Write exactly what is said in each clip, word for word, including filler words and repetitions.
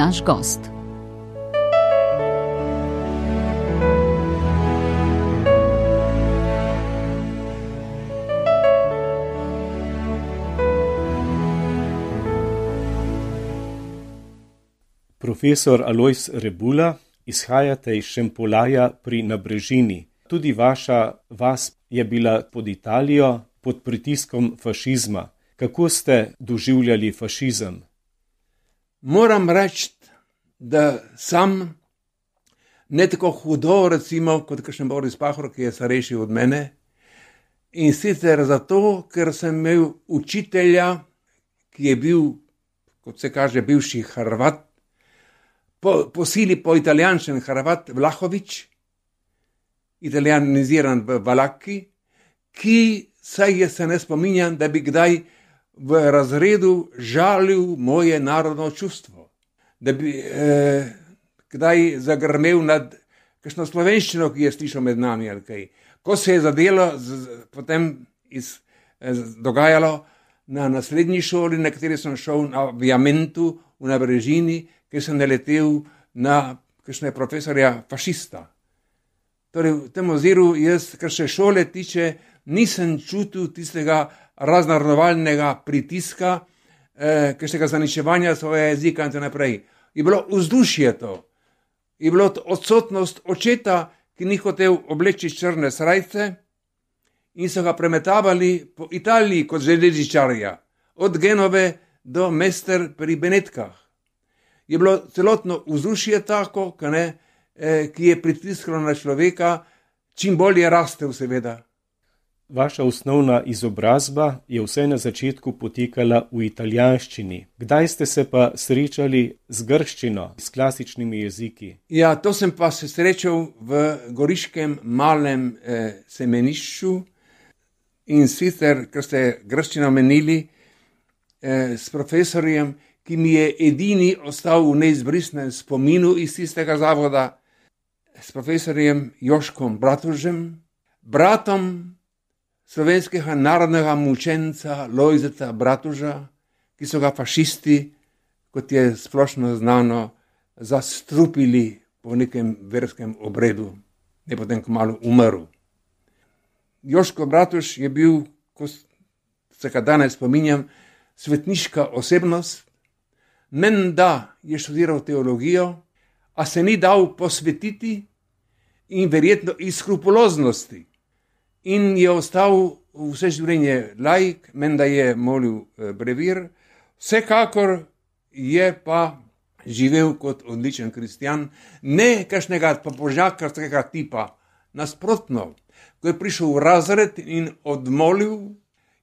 naš gost. Profesor Alojz Rebula, izhajate iz Šempolaja pri Nabrežini. Tudi vaša vas je bila pod Italijo, pod pritiskom fašizma. Kako ste doživljali fašizem? Moram reči, da sam ne tako hudo, recimo, kot kakšen Boris Pahor, ki je starejši od mene. In sicer zato, ker sem imel učitelja, ki je bil, kot se kaže, bivši Hrvat, po, po sili po italijančen Hrvat Vlahovič, italijaniziran v Valaki, ki saj je se ne spominjam, da bi kdaj v razredu žalil moje narodno čustvo, da bi eh, kdaj zagrmel nad kakšno slovenščino, ki je slišal med nami ali kaj. Ko se je zadelo, z, z, potem iz, eh, dogajalo na naslednji šoli, na kateri sem šel na Viamentu v Nabrežini, ker sem naletel na kakšne profesorja fašista. Torej, v tem oziru jaz, kar se šole tiče, nisem čutil tistega raznarodovalnega pritiska, eh, kakšnega zaničevanja svojega jezika in tako naprej. Je bilo vzdušje to. Je bilo odsotnost očeta, ki ni hotel obleči črne srajce in so ga premetavali po Italiji kot železničarja, od Genove do Mester pri Benetkah. Je bilo celotno vzdušje tako, ne, eh, ki je pritiskalo na človeka, čim bolje rastel seveda. Vaša osnovna izobrazba je vse na začetku potekala v italijanščini. Kdaj ste se pa srečali z grščino, s klasičnimi jeziki? Ja, to sem pa se srečal v goriškem malem eh, semenišču in sicer, ker ste grščino menili, eh, s profesorjem, ki mi je edini ostal v neizbrisnem spominu iz tistega zavoda, s profesorjem Joškom Bratužem, bratom slovenskega narodnega mučenca Lojzeta Bratuža, ki so ga fašisti, kot je splošno znano, zastrupili po nekem verskem obredu, ne potem kmalu umrl. Joško Bratuž je bil, ko se ga danes spominjam, svetniška osebnost. Menda je študiral teologijo, a se ni dal posvetiti in verjetno iz skrupuloznosti. In je ostal vse življenje laik, menda je molil brevir, vsekakor je pa živel kot odličen kristjan, ne kakšnega pobožnjakarskega tipa. Nasprotno, ko je prišel v razred in odmolil,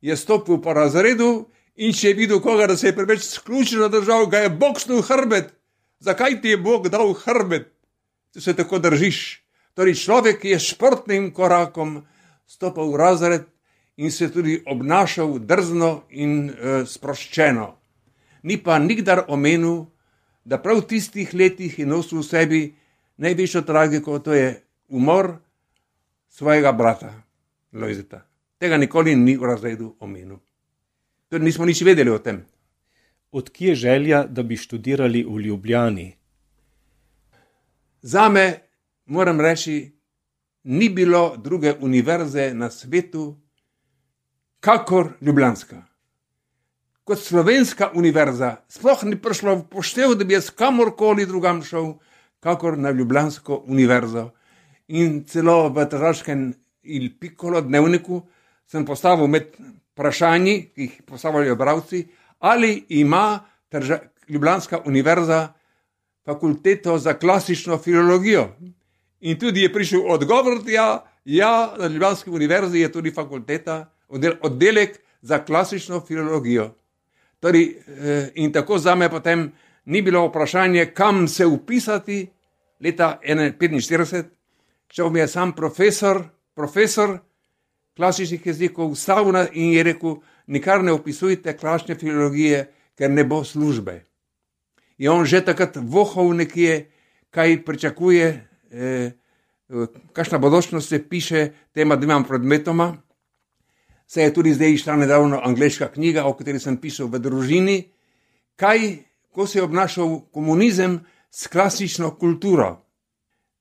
je stopil po razredu in če je videl koga, da se je preveč sključeno držal, ga je boksnil hrbet. Zakaj ti je Bog dal hrbet, če se tako držiš? Torej človek je športnim korakom stopil v razred in se tudi obnašal drzno in e, sproščeno. Ni pa nikdar omenil, da prav v tistih letih je nosil v sebi največjo tragiko, to je umor svojega brata Lojzeta. Tega nikoli ni v razredu omenil. Tudi nismo nič vedeli o tem. Odkje želja, da bi študirali v Ljubljani? Zame, moram reči, ni bilo druge univerze na svetu, kakor ljubljanska. Kot slovenska univerza, sploh ni prišlo v poštev, da bi jaz kamorkoli drugam šel, kakor na ljubljansko univerzo. In celo v tržaškem Il Piccolo dnevniku sem postavil med vprašanji, ki jih postavljajo bralci, ali ima trža, ljubljanska univerza fakulteto za klasično filologijo. In tudi je prišel odgovor, ja, ja, na ljubljanski univerzi je tudi fakulteta, oddelek za klasično filologijo. Torej, in tako zame potem ni bilo vprašanje, kam se upisati leta petinštirideset, šel mi je sam profesor, profesor klasičnih jezikov stavna in je rekel, nikar ne upisujte klasične filologije, ker ne bo službe. Je on že takrat vohal nekje, kaj pričakuje, eh, kakšna bodočnost se piše tema dvema predmetoma. Se je tudi zdaj išla nedavno angleška knjiga, o kateri sem pisal v družini, kaj ko se je obnašal komunizem s klasično kulturo.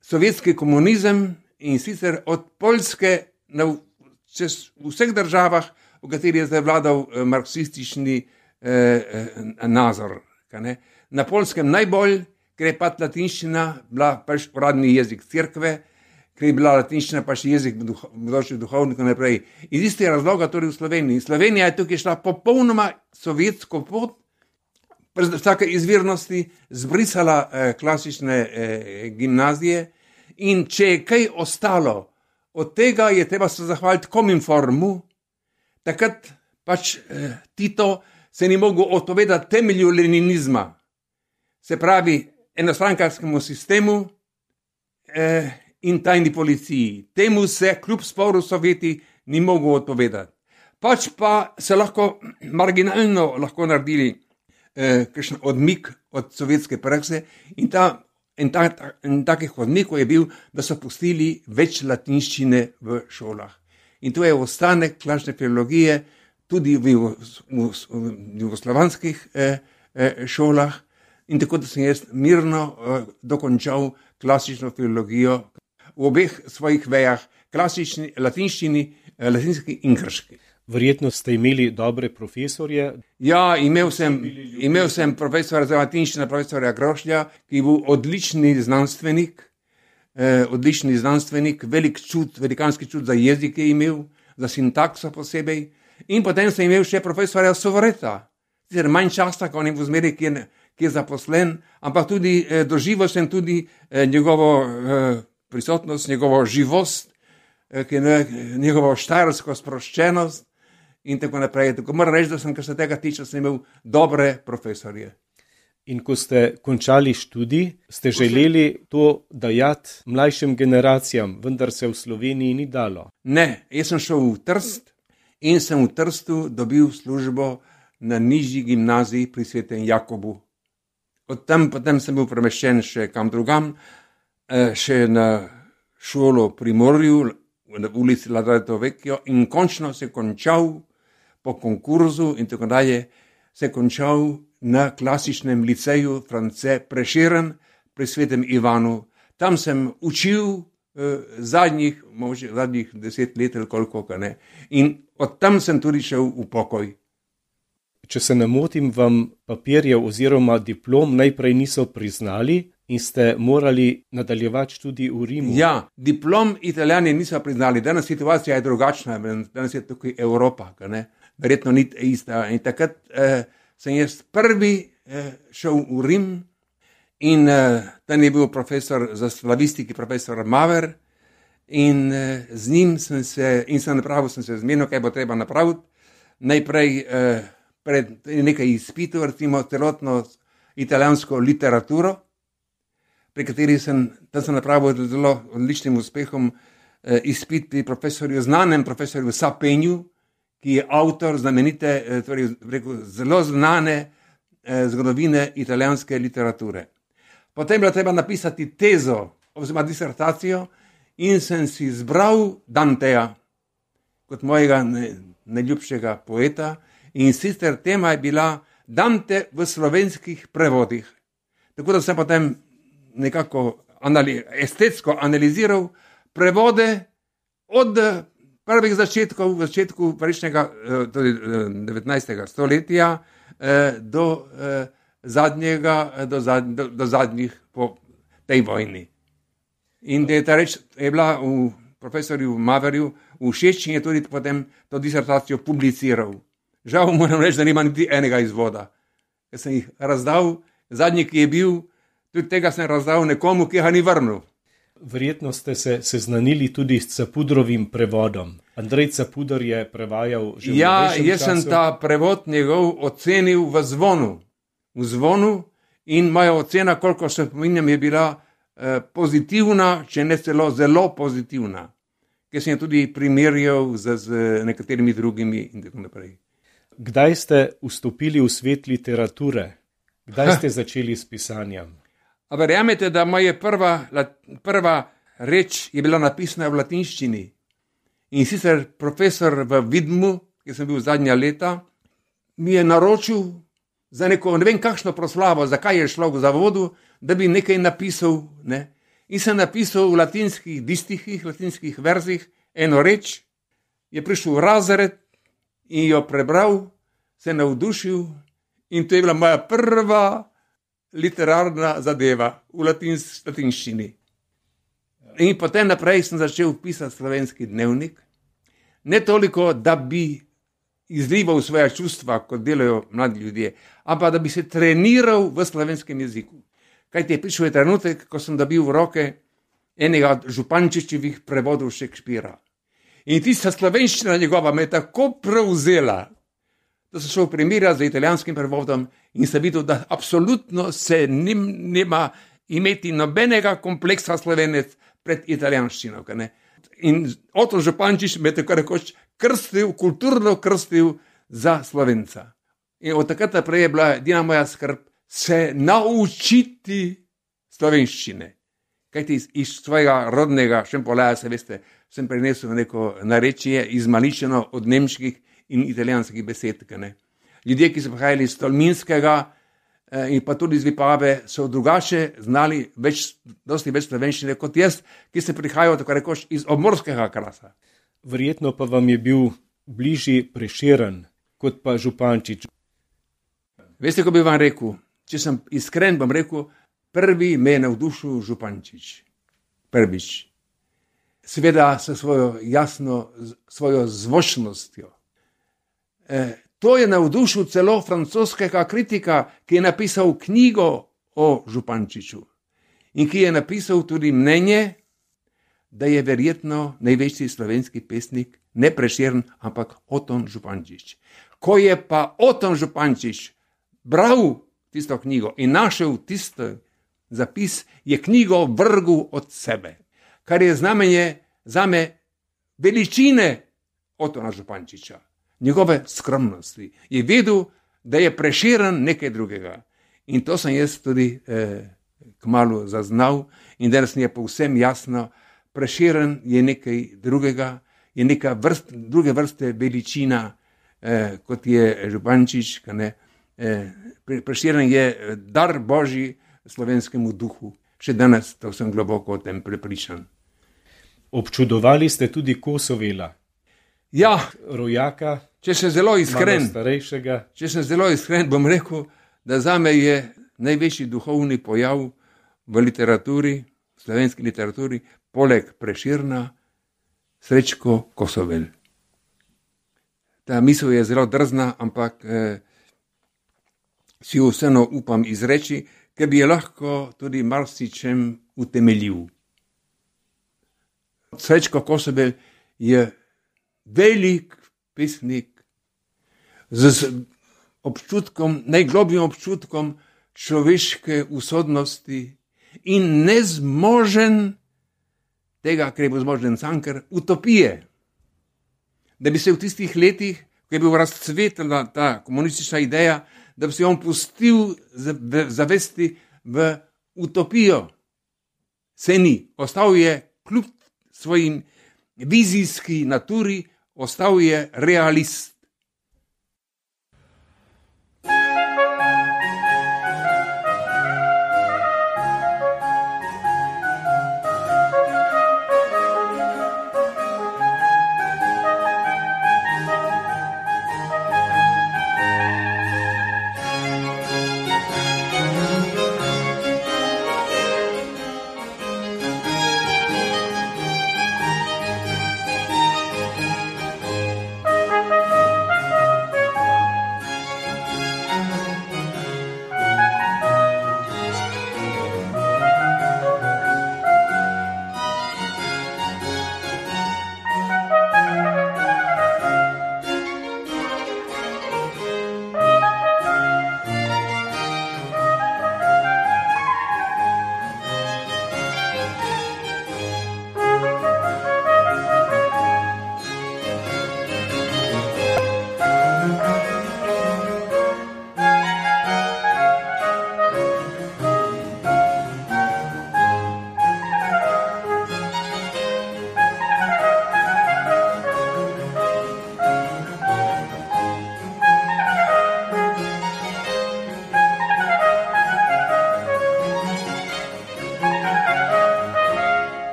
Sovjetski komunizem in sicer od Poljske na čez vseh državah, v kateri je zdaj vladal marksistični eh, nazor. Na Poljskem najbolj, ker je pač latinščina bila pač uradni jezik cerkve, ker je bila latinščina pač jezik bodočih duhovnikov naprej. Iz istega razloga torej v Sloveniji. Slovenija je tukaj šla popolnoma sovjetsko pot, brez vsake izvirnosti, zbrisala eh, klasične eh, gimnazije in če je kaj ostalo od tega, je treba se zahvaliti Kominformu. Takrat pač eh, Tito se ni mogel odpovedati temelju leninizma, se pravi enostrankarskemu sistemu eh, in tajni policiji. Temu se kljub sporu Sovjeti ni mogel odpovedati. Pač pa se lahko marginalno lahko naredili eh, kakšen odmik od sovjetske prakse in, ta, in, ta, ta, in takih odmikov je bil, da so pustili več latinščine v šolah. In to je ostanek klasične filologije tudi v, v, v, v jugoslovanskih eh, eh, šolah. In tako da sem jaz mirno eh, dokončal klasično filologijo v obeh svojih vejah, klasični, latinščini, eh, latinski in grški. Verjetno ste imeli dobre profesorje. Ja, imel sem, imel sem profesora za latinščino, profesora Grošlja, ki je bil odlični znanstvenik, eh, odlični znanstvenik, velik čut, velikanski čut za jezik je imel, za sintakso posebej. In potem sem imel še profesora Sovreta, sicer manj časa, ko on je v zmeri, ki je, ki je zaposlen, ampak tudi eh, doživel sem tudi eh, njegovo eh, prisotnost, njegovo živost, eh, ki je, njegovo štajersko sproščenost in tako naprej. Tako moram reči, da sem, kar se tega tiče, sem imel dobre profesorje. In ko ste končali študij, ste želeli to dajati mlajšim generacijam, vendar se v Sloveniji ni dalo. Ne, jaz sem šel v Trst in sem v Trstu dobil službo na nižji gimnaziji pri Svetem Jakobu. Od tam potem sem bil premeščen še kam drugam, še na šolo pri Morju, na ulici Ladato Vecchio, in končno se končal po konkurzu in tako dalje, se končal na klasičnem liceju France Prešeren pri Svetem Ivanu. Tam sem učil eh, zadnjih, možda zadnjih deset let ali koliko, ne. In od tam sem tudi šel v pokoj. Če se ne motim, vam papirjev oziroma diplom najprej niso priznali in ste morali nadaljevati študij v Rimu. Ja, diplom Italijani niso priznali. Danes situacija je drugačna, danes je tukaj Evropa, ne. Verjetno ni ista. In takrat eh, sem jaz prvi eh, šel v Rim in eh, tam je bil profesor za slavistiki, profesor Maver, in eh, z njim sem se, in sem napravil, sem se zmenil, kaj bo treba napraviti. Najprej eh, pred nekaj izpitov, recimo celotno italijansko literaturo, pri kateri sem, tam sem napravil zelo odličnim uspehom eh, izpit pri profesorju, znanem profesorju Sapenju, ki je avtor znamenite, eh, torej rekel, zelo znane eh, zgodovine italijanske literature. Potem je bilo treba napisati tezo oziroma disertacijo in sem si izbral Danteja kot mojega ne, najljubšega poeta, in sicer tema je bila Dante v slovenskih prevodih. Tako da sem potem nekako anali, estetsko analiziral prevode od prvih začetkov, v začetku prejšnjega, tudi devetnajstega stoletja do zadnjega, do, zad, do, do zadnjih po tej vojni. In da je ta reč je bila v profesorju Maverju všeč in je tudi potem to disertacijo publiciral. Žal moram reči, da nima niti enega izvoda. Jaz sem jih razdal, zadnji, ki je bil, tudi tega sem razdal nekomu, ki ga ni vrnil. Verjetno ste se seznanili tudi s Capudrovim prevodom. Andrej Capudor je prevajal že v Ja, novejšem jaz sem času. ta prevod njegov ocenil v Zvonu. V Zvonu in moja ocena, koliko se pominjam, je bila eh, pozitivna, če ne celo zelo pozitivna. Ker sem jo tudi primerjal z, z nekaterimi drugimi in tako naprej. Kdaj ste vstopili v svet literature? Kdaj ste začeli s pisanjem? A verjamete, da moja prva, prva reč je bila napisana v latinščini. In sicer profesor v Vidmu, ki sem bil zadnja leta, mi je naročil, za neko ne vem kakšno proslavo, zakaj je šlo v zavodu, da bi nekaj napisal, ne? In sem napisal v latinskih distihih, latinskih verzih eno reč, je prišel v razred in jo prebral, se navdušil in to je bila moja prva literarna zadeva v latins, latinščini. In potem naprej sem začel pisati slovenski dnevnik, ne toliko, da bi izlival svoja čustva, kot delajo mladi ljudje, ampak da bi se treniral v slovenskem jeziku. Kajti je prišel je trenutek, ko sem dobil v roke enega od Župančičevih prevodov Šekspira. In tista slovenščina njegova me je tako prevzela, da sem šel primerjati z italijanskim prevodom in sem videl, da absolutno se nim, nima imeti nobenega kompleksa Slovenec pred italijanščino. Ne? In Oto Župančič me je tako rekoč krstil, kulturno krstil za Slovenca. In od takrat naprej je bila edina moja skrb se naučiti slovenščine. Kajti iz, iz svojega rodnega Šempolaja, se veste, sem prenesel neko narečje izmaličeno od nemških in italijanskih besed. Ne? Ljudje, ki so prihajali iz Tolminskega eh, in pa tudi iz Vipave, so drugače znali več, dosti več slovenščine kot jaz, ki se prihajajo tako rekoč iz obmorskega krasa. Verjetno pa vam je bil bližji Prešeren kot pa Župančič. Veste, ko bi vam rekel, če sem iskren, bom rekel, prvi me je navdušil Župančič. Prvič. Seveda s svojo jasno, svojo zvočnostjo. E, to je navdušil celo francoskega kritika, ki je napisal knjigo o Župančiču in ki je napisal tudi mnenje, da je verjetno največji slovenski pesnik ne Prešeren, ampak Oton Župančič. Ko je pa Oton Župančič bral tisto knjigo in našel tisto zapis, je knjigo vrgel od sebe, kar je znamenje zame veličine Otona Župančiča, njegove skromnosti. Je vedel, da je Prešeren nekaj drugega. In to sem jaz tudi eh, kmalu zaznal in danes mi je povsem jasno, Prešeren je nekaj drugega, je neka vrst, druge vrste veličina, eh, kot je Župančič, ne. Prešeren je dar Božji slovenskemu duhu. Še danes to sem globoko o tem prepričan. Občudovali ste tudi Kosovela. Ja, rojaka, če sem zelo iskren, starejšega. Če sem zelo iskren, bom rekel, da zame je največji duhovni pojav v literaturi, v slovenski literaturi, poleg Prešerna, Srečko Kosovel. Ta misel je zelo drzna, ampak eh, si jo vseeno upam izreči, ker bi je lahko tudi marsičem utemeljil. Srečko Kosovel je velik pesnik z občutkom, najglobljim občutkom človeške usodnosti in nezmožen tega, kar je bil zmožen Cankar, utopije. Da bi se v tistih letih, ko je bil razcvetila ta komunistična ideja, da bi se on pustil zavesti v utopijo. Se ni. Ostal je kljub svojim vizijski naturi, ostal je realist.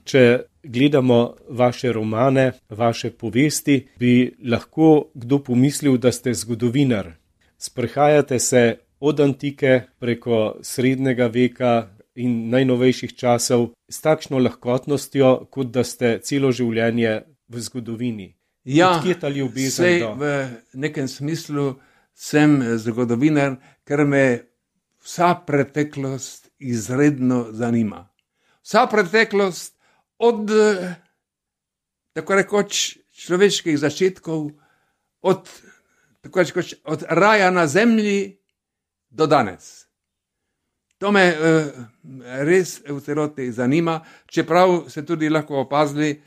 Če gledamo vaše romane, vaše povesti, bi lahko kdo pomislil, da ste zgodovinar. Sprehajate se od antike preko srednjega veka in najnovejših časov s takšno lahkotnostjo, kot da ste celo življenje v zgodovini. Ja, Odkje ta ljubezen sej do... v nekem smislu sem zgodovinar, ker me vsa preteklost izredno zanima. Vsa preteklost od, tako rekoč, človeških začetkov, od, tako rekoč, od raja na zemlji do danes. To me uh, res v celoti zanima, čeprav se tudi lahko opazili,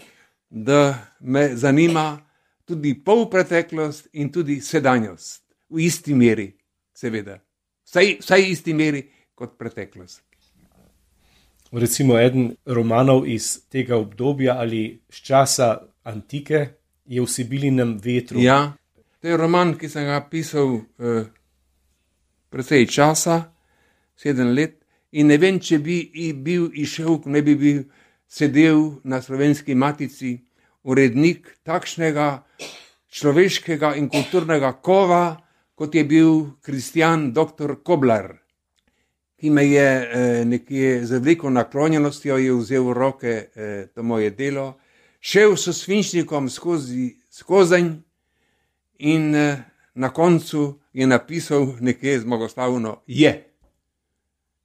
da me zanima tudi polpreteklost in tudi sedanjost. V isti meri, seveda. Vsaj, vsaj isti meri kot preteklost. Recimo eden romanov iz tega obdobja ali z časa antike je V Sibilinem vetru. Ja, to je roman, ki sem ga pisal uh, precej časa, sedem let, in ne vem, če bi bil išel, ne bi bil sedel na Slovenski matici urednik takšnega človeškega in kulturnega kova, kot je bil Kristjan doktor Koblar, ki me je eh, nekje z veliko naklonjenostjo je vzel v roke eh, to moje delo, šel s svinčnikom skozi skozenj in eh, na koncu je napisal nekje zmagoslavno je.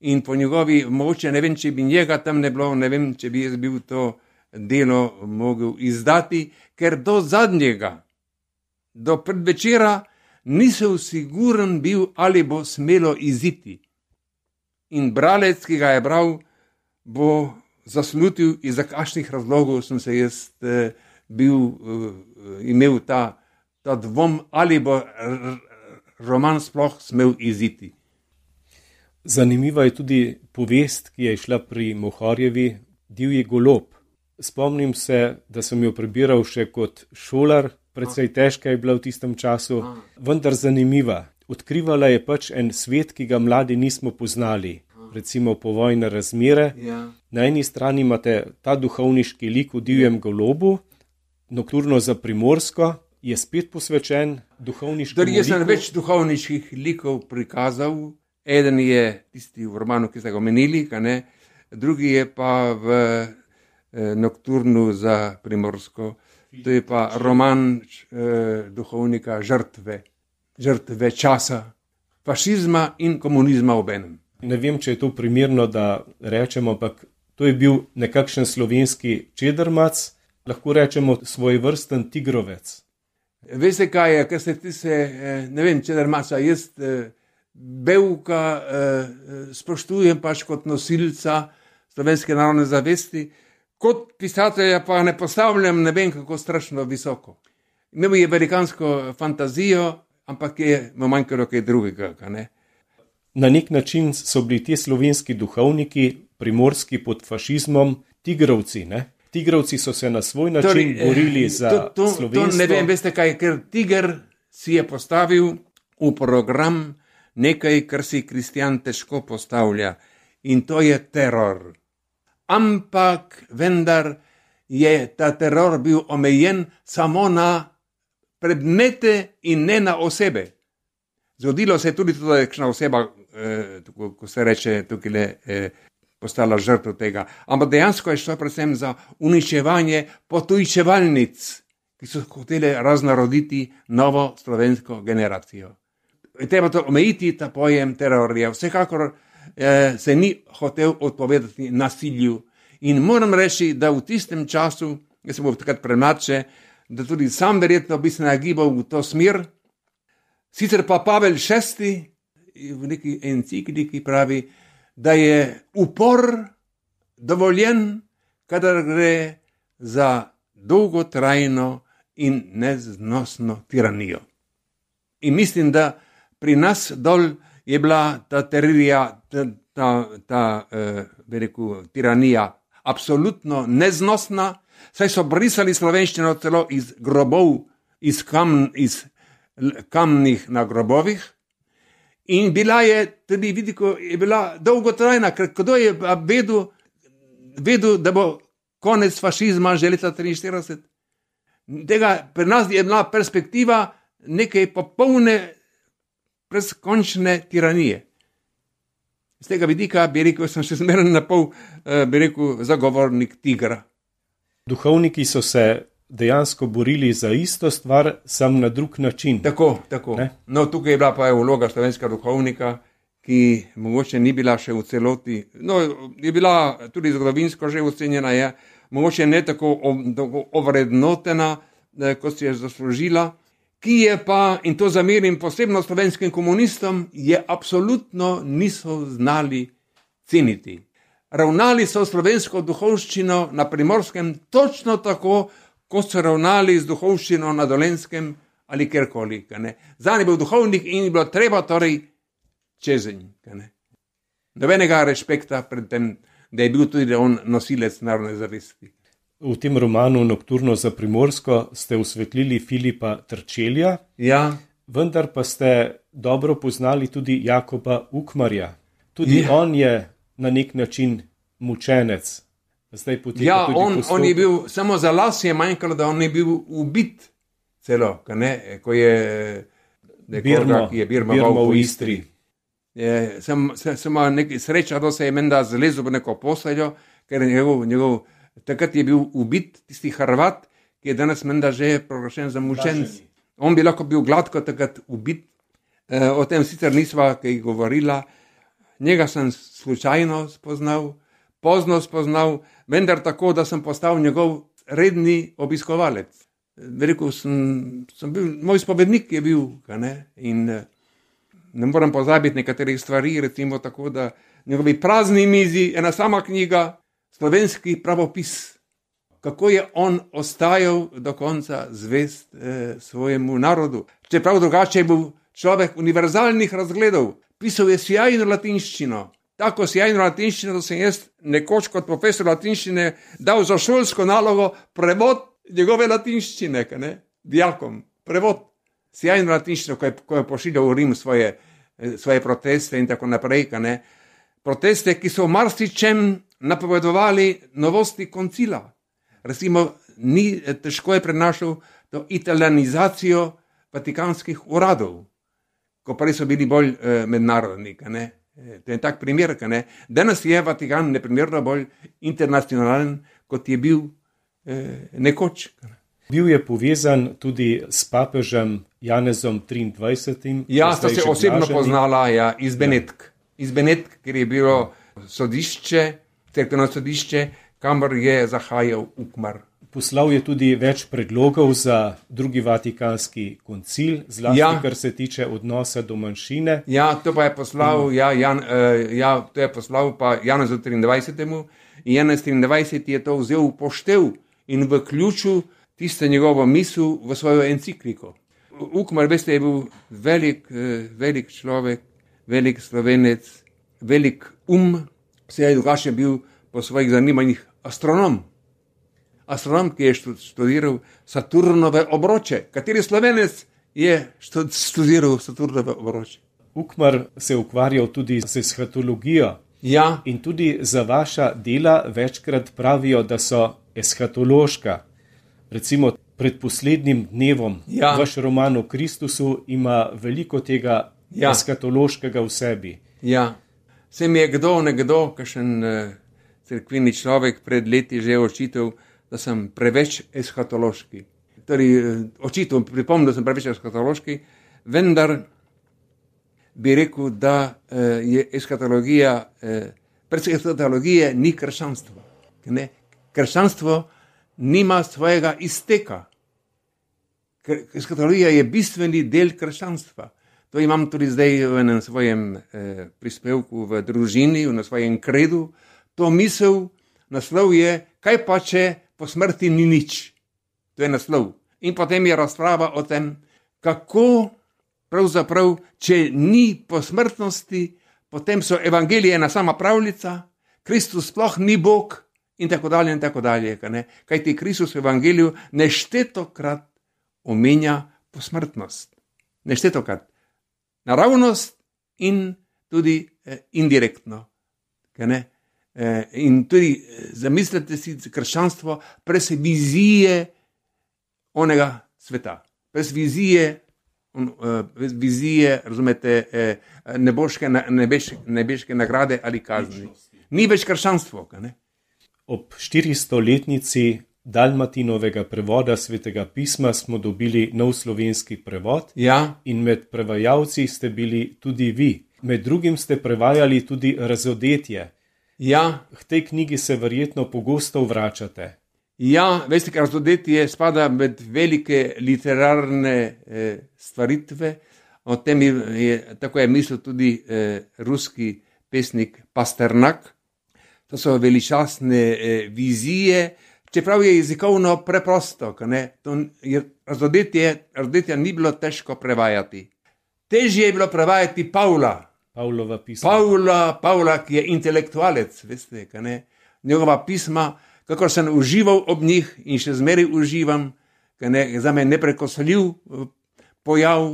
In po njegovi moči, ne vem, če bi njega tam ne bilo, ne vem, če bi jaz bil to delo mogel izdati, ker do zadnjega, do predvečera nisem siguren bil, ali bo smelo iziti. In bralec, ki ga je bral, bo zaslutil, iz kakšnih razlogov sem se jaz eh, bil, eh, imel ta, ta dvom, ali bo r- roman sploh smel iziti. Zanimiva je tudi povest, ki je išla pri Mohorjevi, Divji golob. Spomnim se, da sem jo prebiral še kot šolar, precej težka je bila v tistem času, vendar zanimiva. Odkrivala je pač en svet, ki ga mladi nismo poznali, recimo povojne razmere. Ja. Na eni strani imate ta duhovniški lik v Divjem golobu, Nokturno za Primorsko je spet posvečen duhovniškemu liku. Jaz sem več duhovniških likov prikazal. Eden je tisti v romanu, ki ste ga omenili, ne? Drugi je pa v eh, Nokturnu za Primorsko. To je pa roman eh, duhovnika žrtve, žrtve časa, fašizma in komunizma obenem. Ne vem, če je to primerno, da rečemo, ampak to je bil nekakšen slovenski čedermac, lahko rečemo svojevrsten tigrovec. Veste kaj je, ker se ti se, ne vem, čedermaca, jaz Bevka spoštujem pač kot nosilca slovenske narodne zavesti, kot pisatelja pa ne postavljam ne vem kako strašno visoko. Imel je velikansko fantazijo, ampak je mu manjkalo kaj drugega, ne? Na nek način so bili ti slovenski duhovniki, primorski pod fašizmom, tigrovci, ne? Tigrovci so se na svoj način torej, borili za to, to, slovenstvo. To ne vem, veste kaj, ker tiger si je postavil v program nekaj, kar si kristjan težko postavlja, in to je teror. Ampak vendar je ta teror bil omejen samo na predmete in ne na osebe. Zgodilo se je tudi to, da je kakšna oseba, eh, tako, ko se reče, tukaj le, eh, postala žrtev tega. Ampak dejansko je šlo predvsem za uničevanje potujčevalnic, ki so hotele raznaroditi novo slovensko generacijo. Treba to omejiti, ta pojem terorija. Vsekakor eh, se ni hotel odpovedati nasilju. In moram reči, da v tistem času, jaz sem bil takrat premladše, da tudi sam verjetno bi se nagibal v to smer. Sicer pa Pavel šesti v neki encikliki pravi, da je upor dovoljen, kadar gre za dolgotrajno in neznosno tiranijo. In mislim, da pri nas dol je bila ta teririja, ta, ta, ta eh, rekel, tiranija absolutno neznosna, saj so brisali slovenščino celo iz grobov, iz, kam, iz kamnih na grobovih. In bila je tudi, vidiko, je bila dolgotrajna, ker kdo je vedel, vedel, da bo konec fašizma že leta triinštirideset. Tega pri nas je bila perspektiva neke popolne, brezkončne tiranije. Z tega vidika bi rekel, sem še zmeraj na pol, bi rekel, zagovornik tigra. Duhovniki so se dejansko borili za isto stvar, sam na drug način. Tako, tako. Ne? No, tukaj je bila pa vloga slovenskega duhovnika, ki mogoče ni bila še v celoti, no, je bila tudi zgodovinsko že ocenjena, je mogoče ne tako ovrednotena, kot si je zaslužila, ki je pa, in to zamerim posebno slovenskim komunistom, je absolutno niso znali ceniti. Ravnali so slovensko duhovščino na Primorskem točno tako, kot so ravnali z duhovščino na Dolenjskem ali kjerkoli. Zanje je bil duhovnik in je bilo treba torej čezenj. Nobenega respekta pred tem, da je bil tudi on nosilec narodne zavesti. V tem romanu Nokturno za Primorsko ste osvetlili Filipa Trčelja, ja. Vendar pa ste dobro poznali tudi Jakoba Ukmarja. Tudi ja. On je na nek način mučenec. Zdaj ja, on, on je bil, samo za las je manjkalo, da on je bil ubit celo, ne, ko je Birmo, ki je Birma, Birmo v Istri. Je, sem, sem, sem nekaj sreča, da se je menda zlezel v neko posteljo, ker njegov, njegov, takrat je bil ubit tisti Hrvat, ki je danes menda že proglašen za mučenec. On bi lahko bil gladko takrat ubit. E, o tem sicer nisva kaj govorila. Njega sem slučajno spoznal, pozno spoznal, vendar tako, da sem postal njegov redni obiskovalec. Rekel sem, sem bil, moj spovednik je bil, ne? In ne moram pozabiti nekaterih stvari, recimo tako, da njegovi prazni mizi, ena sama knjiga, slovenski pravopis. Kako je on ostajal do konca zvest eh, svojemu narodu. Čeprav drugače je bil človek univerzalnih razgledov. Pisal je sjajno latinščino. Tako sjajno latinščino, da sem jaz nekoč kot profesor latinščine dal za šolsko nalogo prevod njegove latinščine, ne, dijakom. Prevod. Sjajno latinščino, ko je, ko je pošiljal v Rim svoje, svoje proteste in tako naprej. Ne. Proteste, ki so v marsičem napovedovali novosti koncila. Recimo, ni težko je prenašal to italianizacijo vatikanskih uradov, ko prej so bili bolj eh, mednarodni. Ne? To je tak primer. Ne? Danes je Vatikan neprimerno bolj internacionalen, kot je bil eh, nekoč. Bil je povezan tudi s papežem Janezom triindvajsetim. Ja, sta se osebno poznala ja, iz Benetk. Ja. Iz Benetk, ker je bilo sodišče, cerkveno sodišče, kamor je zahajal Ukmar. Poslal je tudi več predlogov za drugi vatikanski koncil, zlasti ja. Kar se tiče odnosa do manjšine. Ja, to pa je poslal, ja, Jan, uh, ja, to je poslal pa Janezu triindvajsetemu in Janez triindvajseti je to vzel v poštev in vključil tiste njegovo misel v svojo encikliko. Ukmar, veste, je bil velik, uh, velik človek, velik Slovenec, velik um, vse je drugače bil po svojih zanimanjih astronom. Astronom, ki je študiral Saturnove obroče. Kateri Slovenec je študiral Saturnove obroče? Ukmar se je ukvarjal tudi z eshatologijo. Ja. In tudi za vaša dela večkrat pravijo, da so eshatološka. Recimo pred poslednjim dnevom ja. Vaš roman o Kristusu ima veliko tega ja. Eshatološkega v sebi. Ja. Se mi je kdo, nekdo, kakšen uh, cerkveni človek pred leti že očital, da sem preveč eshatološki. Torej, očital, pripomnil, da sem preveč eshatološki, vendar bi rekel, da uh, je eshatologija, uh, pred eshatologije ni krščanstvo. Ne? Krščanstvo nima svojega izteka. Eshatologija je bistveni del krščanstva. To imam tudi zdaj v enem svojem eh, prispevku v družini, na svojem kredu. To misel, naslov je, kaj pa če po smrti ni nič. To je naslov. In potem je razprava o tem, kako pravzaprav, če ni posmrtnosti, potem so evangelije ena sama pravljica, Kristus sploh ni Bog in tako dalje in tako dalje. Kaj ti Kristus v evangeliju neštetokrat omenja posmrtnost. Neštetokrat. Naravnost in tudi eh, indirektno. Ne? Eh, in tudi zamislite si krščanstvo brez vizije onega sveta, brez vizije, on, uh, brez vizije, razumete, eh, neboške, nebeške, nebeške nagrade ali kazni. Ni več krščanstvo. Ne? Ob štiristoletnici Dalmatinovega prevoda Svetega pisma smo dobili nov slovenski prevod, ja. In med prevajalci ste bili tudi vi. Med drugim ste prevajali tudi Razodetje. Ja. K tej knjigi se verjetno pogosto vračate. Ja, veste, ker Razodetje spada med velike literarne eh, stvaritve. O tem je, tako je mislil tudi eh, ruski pesnik Pasternak. To so veličastne eh, vizije, čeprav je jezikovno preprosto. Razodetje, razodetje ni bilo težko prevajati. Težje je bilo prevajati Pavla. Pavlova pisma. Pavla, Pavla, ki je intelektualec, veste, njegova pisma, kako sem užival ob njih in še zmeraj uživam, za me neprekosljiv pojav,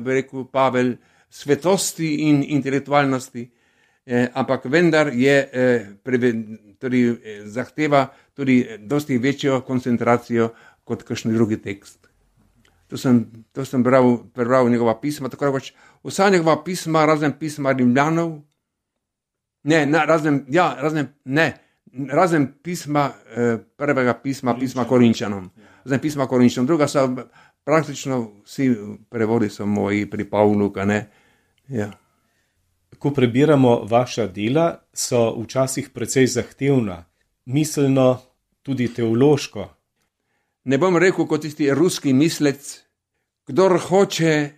bi rekel Pavel, svetosti in intelektualnosti, eh, ampak vendar je eh, preve, tudi, eh, zahteva tudi dosti večjo koncentracijo kot kakšen drugi tekst. To sem, to sem bral, prebral njegova pisma, tako rekoč, vsa njegova pisma, razen pisma Rimljanov, ne, ne, razen, ja, razen, ne, razen pisma, eh, prvega pisma, pisma Korinčanom, razen pisma Korinčanom, druga so praktično vsi prevodi so moji pri Pavlu, ne, ja. Ko prebiramo vaša dela, so včasih precej zahtevna, miselno, tudi teološko. Ne bom rekel kot tisti ruski mislec, kdor hoče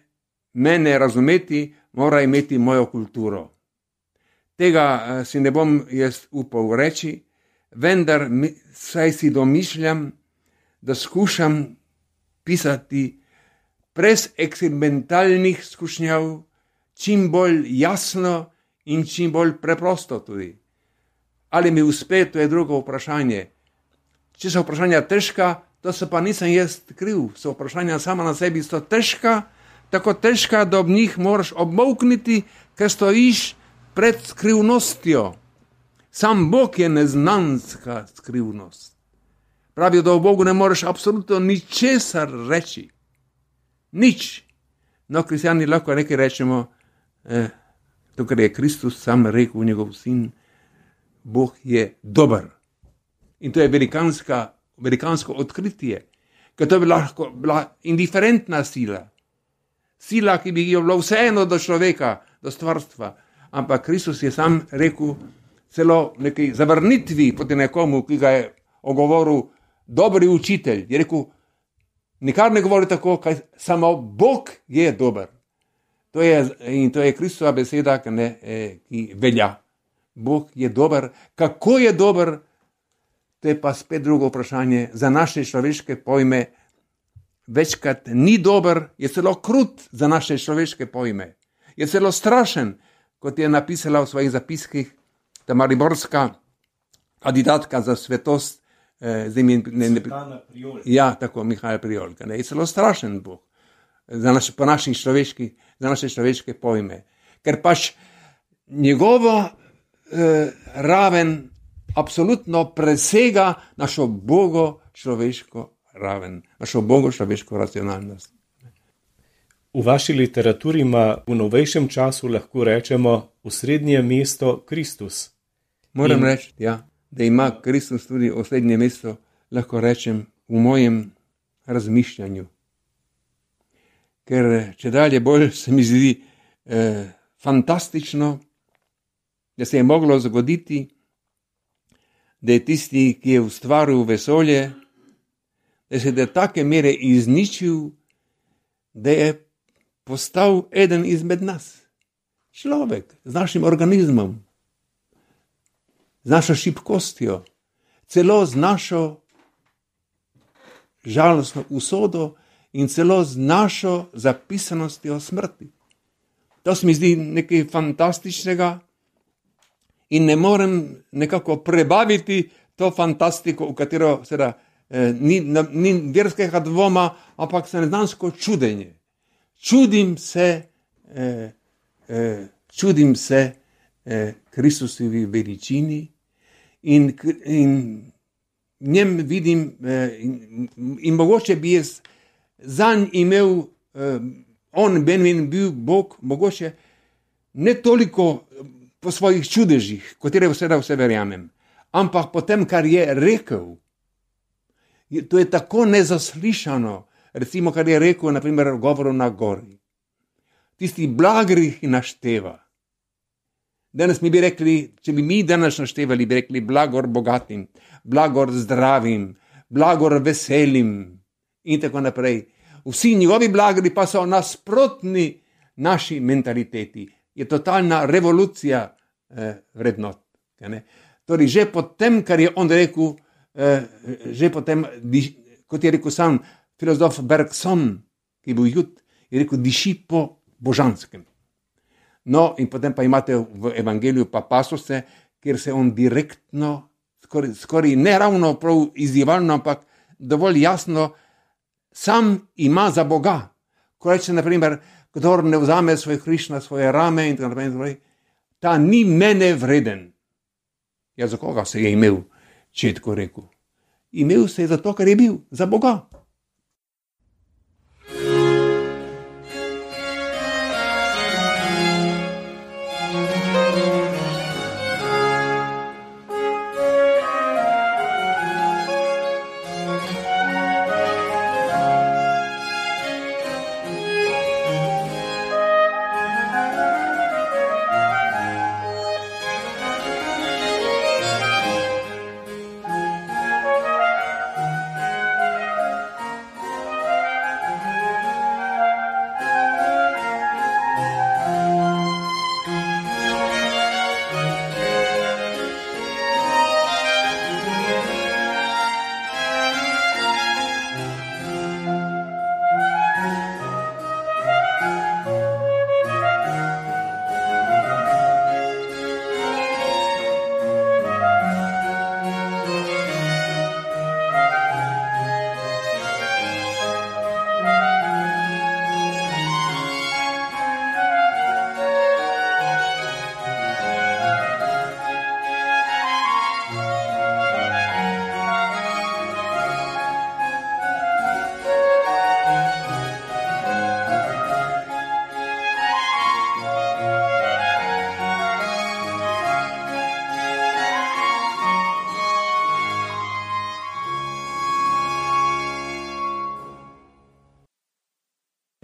mene razumeti, mora imeti mojo kulturo. Tega si ne bom jaz upal reči, vendar saj si domišljam, da skušam pisati brez eksperimentalnih skušnjav, čim bolj jasno in čim bolj preprosto tudi. Ali mi uspe, to je drugo vprašanje. Če so vprašanja težka, to se pa nisem jaz kriv. So vprašanja sama na sebi so težka, tako težka, da ob njih moraš obmolkniti, ker stojiš pred skrivnostjo. Sam Bog je neznanska skrivnost. Pravijo, da o Bogu ne moreš absolutno ničesar reči. Nič. No, kristjani lahko nekaj rečemo, eh, to, kar je Kristus sam rekel, njegov sin, Bog je dober. In to je velikanska, velikansko odkritje, ker to bi lahko bila indiferentna sila. Sila, ki bi jo bilo vseeno do človeka, do stvarstva. Ampak Kristus je sam rekel celo nekaj zavrnitvi proti nekomu, ki ga je ogovoril dobri učitelj. Je rekel, nikar ne govori tako, kaj samo Bog je dober. To je, in to je Kristova beseda, ki, ne, eh, ki velja. Bog je dober. Kako je dober, to je pa spet drugo vprašanje. Za naše človeške pojme večkrat ni dober, je celo krut za naše človeške pojme. Je celo strašen, kot je napisala v svojih zapiskih ta mariborska kandidatka za svetost, eh, imen, ne, ne, ja, tako, Mihajl Prijolka. Ne, je celo strašen Bog za naš, po naših človeških, za naše človeške pojme. Ker pač njegovo eh, raven absolutno presega našo bogo človeško raven, našo bogo človeško racionalnost. V vaši literaturi ima v novejšem času lahko rečemo osrednje mesto Kristus. Moram In... reči, ja, da ima Kristus tudi osrednje mesto, lahko rečem, v mojem razmišljanju. Ker če dalje bolj se mi zdi eh, fantastično, da se je moglo zgoditi, da je tisti, ki je ustvaril vesolje, da se je do take mere izničil, da je postal eden izmed nas. Človek z našim organizmom, z našo šibkostjo, celo z našo žalostno usodo in celo z našo zapisanostjo smrti. To se mi zdi nekaj fantastičnega in ne morem nekako prebaviti to fantastiko, v katero seveda eh, ni, ni verskega dvoma, ampak se neznansko čudenje. Čudim se, eh, eh, čudim se eh, Kristusovi veličini in, in v njem vidim eh, in, in mogoče bi jaz zanj imel, eh, on Benjamin bil Bog, mogoče ne toliko po svojih čudežih, katere vseda vse verjamem, ampak po tem, kar je rekel. To je tako nezaslišano, recimo, kar je rekel, naprimer, v govoru na gori. Tisti blagrih našteva. Danes mi bi rekli, če bi mi danes naštevali, bi rekli blagor bogatim, blagor zdravim, blagor veselim in tako naprej. Vsi njegovi blagri pa so nasprotni naši mentaliteti. Je totalna revolucija eh, vrednot. Torej, že po tem, kar je on rekel, eh, že po tem, kot je rekel sam filozof Bergson, ki je bil jud, je rekel, diši po božanskem. No, in potem pa imate v evangeliju pa pasose, kjer se on direktno, skoraj, skoraj ne ravno prav izzivalno, ampak dovolj jasno, sam ima za Boga. Ko reče, naprimer, kdor ne vzame svoj križ na svoje rame in tako naprej, ta ni mene vreden. Ja, za koga se je imel, če je tako rekel? Imel se je zato, ker je bil za Boga.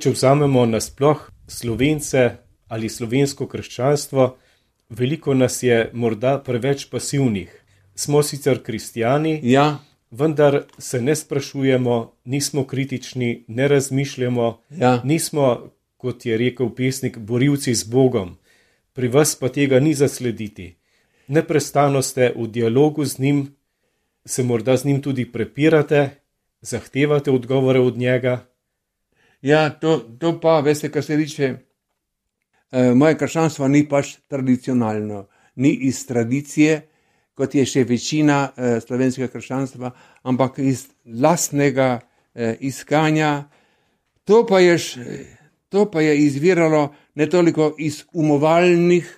Če vzamemo nasploh Slovence ali slovensko krščanstvo, veliko nas je morda preveč pasivnih. Smo sicer kristjani, Ja, vendar se ne sprašujemo, nismo kritični, ne razmišljamo, ja, nismo, kot je rekel pesnik, borilci z Bogom. Pri vas pa tega ni zaslediti. Neprestano ste v dialogu z njim, se morda z njim tudi prepirate, zahtevate odgovore od njega. ja, to, to pa, veste, kar se tiče, eh, moje krščanstvo ni pač tradicionalno, ni iz tradicije, kot je še večina eh, slovenskega krščanstva, ampak iz lastnega eh, iskanja. To pa je, š- to pa je izviralo ne toliko iz umovalnih,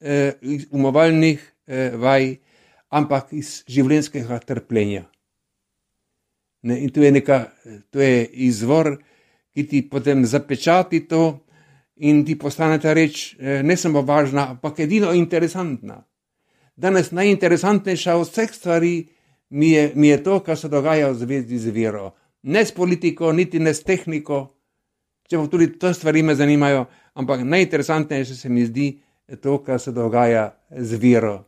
eh, iz umovalnih eh, vaj, ampak iz življenjskega trpljenja. Ne, in to je, neka, to je izvor, ki ti potem zapečati to in ti postane ta reč eh, ne samo važna, ampak edino interesantna. Danes najinteresantnejša od vseh stvari mi je, mi je to, kar se dogaja v zvezi z vero. Ne s politiko, niti ne s tehniko, čeprav tudi te stvari me zanimajo, ampak najinteresantnejše se mi zdi to, kar se dogaja z vero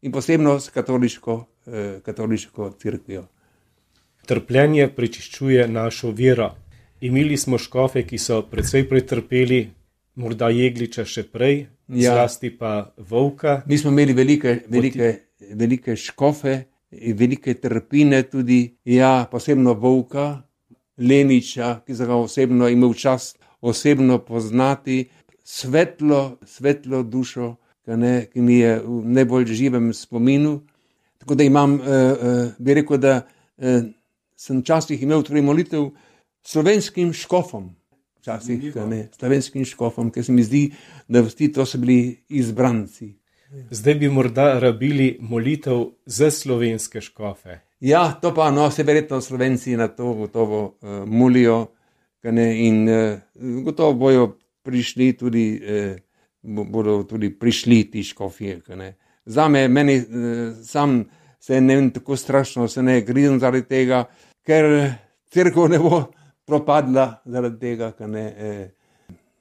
in posebno s katoliško, eh, katoliško cerkvijo. Trpljenje prečiščuje našo vero. Imeli smo škofe, ki so precej pretrpeli, morda Jegliča še prej, Ja. zlasti pa Volka. Mi smo imeli velike, velike, velike škofe, in velike trpine tudi, ja, posebno Volka, Leniča, ki sem ga osebno imel čas osebno poznati, svetlo, svetlo dušo, ki, ne, ki mi je v najbolj živem spominu. Tako da imam, uh, uh, bi rekel, da uh, sem včasih imel torej molitev slovenskim škofom, včasih, ne, slovenskim škofom, ker se mi zdi, da vsi to so bili izbranci. Zdaj bi morda rabili molitev za slovenske škofe. Ja, to pa, no, se verjetno Slovenci na to gotovo uh, molijo, ne, in uh, gotovo bojo prišli tudi, uh, bodo tudi prišli ti škofje. Zame, meni uh, sam se ne vem tako strašno, se ne grizem zaradi tega, ker cerkev ne bo propadla zaradi tega, ne, uh,